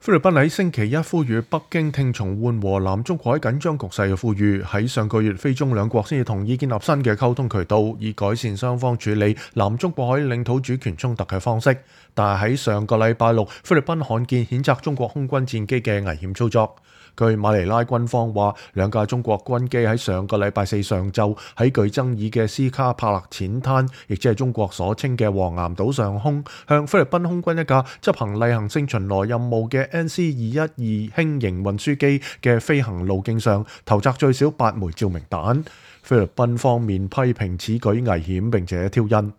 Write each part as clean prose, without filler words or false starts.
菲律賓喺星期一呼籲北京聽從緩和南中國喺緊張局勢嘅呼籲，喺上個月菲中兩國先至同意建立新嘅溝通渠道，以改善雙方處理南中國海領土主權衝突嘅方式。但係喺上個禮拜六，菲律賓罕見譴責中國空軍戰機嘅危險操作。據馬尼拉軍方話，兩架中國軍機喺上個禮拜四上晝喺具爭議嘅斯卡帕勒淺灘，亦即係中國所稱嘅黃岩島上空，向菲律賓空軍一架執行例行性巡邏任務嘅 NC-212輕型運輸機嘅飛行路徑上投擲最少8枚照明彈。菲律賓方面批評此舉危險並且挑釁。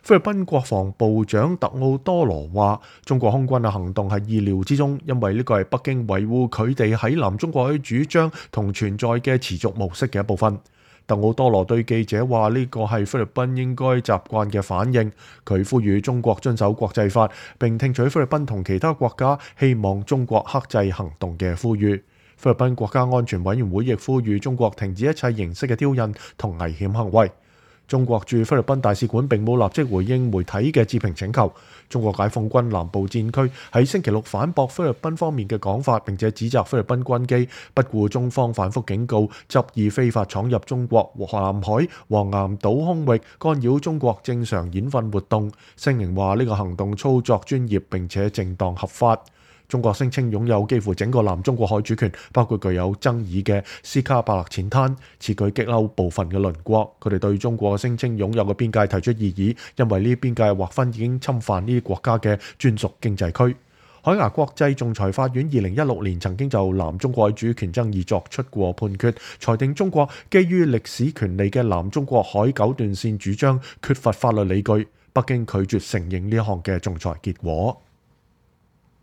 菲律賓國防部長特奧多羅話，中國空軍嘅行動係意料之中，因為呢個係北京維護佢哋喺南中國海主張同存在嘅持續模式嘅一部分。特奧多羅對記者話，呢個係菲律賓應該習慣嘅反應。佢呼籲中國遵守國際法，並聽取菲律賓同其他國家希望中國克制行動嘅呼籲。菲律賓國家安全委員會亦呼籲中國停止一切形式嘅挑釁同危險行為。中國駐菲律賓大使館並冇立即回應媒體嘅置評請求。中國解放軍南部戰區喺星期六反駁菲律賓方面嘅講法，並且指責菲律賓軍機不顧中方反覆警告，執意非法闖入中國南海黃岩島空域，干擾中國正常演訓活動。聲明話呢個行動操作專業並且正當合法。中國聲稱擁有幾乎整個南中國海主權，包括具有爭議嘅斯卡帕勒淺灘。此舉激嬲部分嘅鄰國，佢哋對中國聲稱擁有嘅邊界提出異議，因為呢啲邊界劃分已經侵犯呢啲國家嘅專屬經濟區。海牙國際仲裁法院2016年曾經就南中國海主權爭議作出過判決，裁定中國基於歷史權利嘅南中國海九段線主張缺乏法律理據。北京拒絕承認呢項嘅仲裁結果。